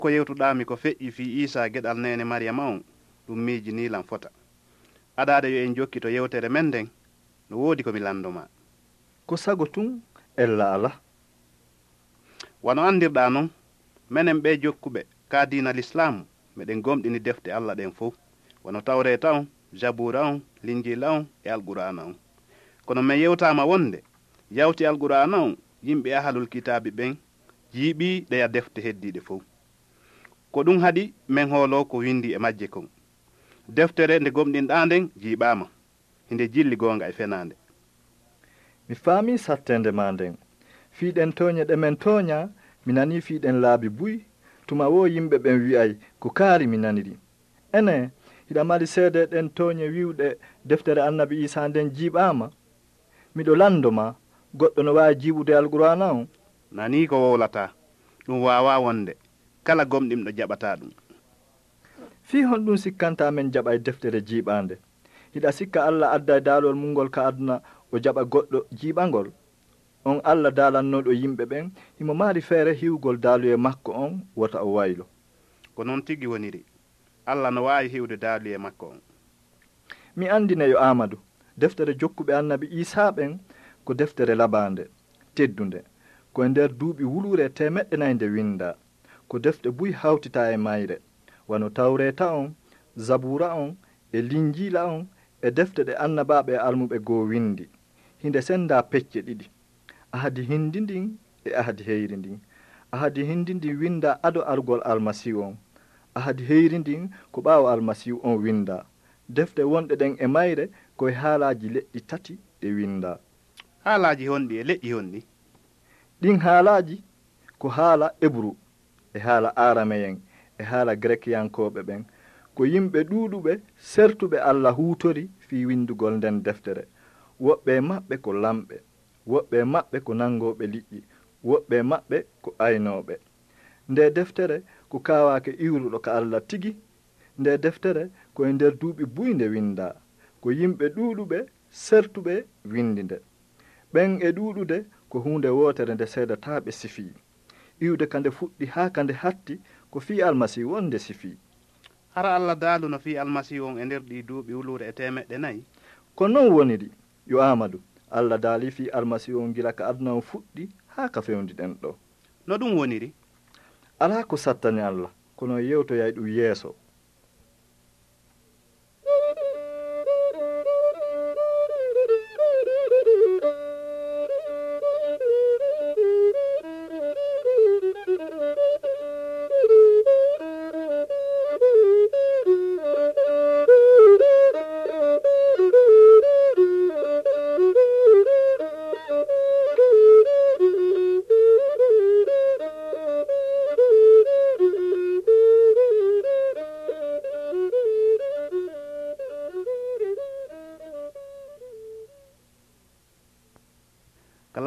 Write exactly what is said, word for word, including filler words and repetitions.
Ko yewtuɗaami ko feƴƴi fii Iisaa geɗal neene Mariyama on, ɗum miijinii lan fota. Adaade yo en jokkito yewtere men nden, no woodi ko mi lanndo maa. Ko sago tun, ella alaa. Wano anndirɗaa non, menen ɓee jokkuɓe ka diina Lislaamu, meɗen gomɗini defte Alla ɗen fow, wano Tawreeta on, Jabuura on, Linjiila on, e Alqur'aana on. Kono men yewtaama wonde, yawti Alqur'aana on, yimɓe Ahlul Kitaabi ɓen jiiɓii ɗeya defte heddiiɗe fow. Ko ɗum haɗi men hooloo ko windi e majje kon. Deftere nde gomɗinɗaa nden jiiɓaama. Hinde jilli goonga e fenaande. Mi faamii satteende maa nden. Fii ɗen tooɲe ɗe men tooɲaa, mi nanii fii ɗen laabi buy, tuma woo yimɓe ɓen wi'ay ko kaari mi naniri. Enee, hiɗa mari seedee ɗen tooɲe wi'uɗe deftere Annabi Iisaa nden jiiɓaama? Miɗo lanndo maa, goɗɗo no waawi jiiɓude Alqur'aana on? Nanii ko wowlataa. Ɗum waawaa wonde. Kala gomɗinɗo jaɓataa ɗum. Fii honɗum sikkantaa men jaɓay deftere jiiɓaande? Hiɗa sikka Alla adday daalol mun ngol ka aduna o jaɓa goɗɗo jiiɓa ngol? On Alla daalannooɗo yimɓe ɓen, himo mari feere hiwugol daaluyee makko on wota o waylo. Ko non tigi woniri. Alla no waawi hiwude daaluyee makko on. Mi anndine yo Aamadu, deftere jokkuɓe Annabi Iisaa ɓen ko deftere labaande, teddunde. Ko e nder duuɓi wuluure teemeɗɗe nay nde winndaa. Ko defte buy hawtitaa e mayre, wano Tawreeta on, Zabuura on, e Linjiila on, e defte ɗe annabaaɓe e almuɓe goo winndi. Hinde senndaa pecce ɗiɗi, ahadi hinndi ndin e ahadi heyri ndin. Ahadi hinndi ndin winndaa ado arugol Almasiihu on. Ahadi heyri ndin ko ɓaawo Almasiihu on winndaa. Defte wonɗe ɗen e mayre ko e haalaaji leƴƴi tati ɗe winndaa. Haalaaji honɗi e leƴƴi honɗi? Ɗin haalaaji ko haala Ebru e haala Aarameyen e haala Gerekiyankooɓe ɓen. Ko yimɓe ɗuuɗuɓe sertuɓe Alla huutori fii winndugol nden deftere. Woɓɓe e maɓɓe ko lamɓe, woɓɓe e maɓɓe ko nanngooɓe liƴƴi, woɓɓe e maɓɓe ko aynooɓe. Nde deftere ko kaawaake iwruɗo ka Alla tigi. Nde deftere ko e nder duuɓi buy nde winndaa. Ko yimɓe ɗuuɗuɓe sertuɓe winndi nde. Ɓen e ɗuuɗude ko huunde wootere nde seedataaɓe sifii. Iwde ka nde fuɗɗi haa ka nde hatti ko fii Almasiihu on nde sifii. Hara Alla daaluno fii Almasiihu on e nder ɗii duuɓi wuluure e teemeɗɗe nayi? Ko non woniri, yo Aamadu. Alla daalii fii Almasiihu on gila ka aduna on fuɗɗi haa ka fewndi ɗen ɗoo. No ɗum woniri? Alaa ko sattani Alla, kono o yewtoyay ɗum yeeso.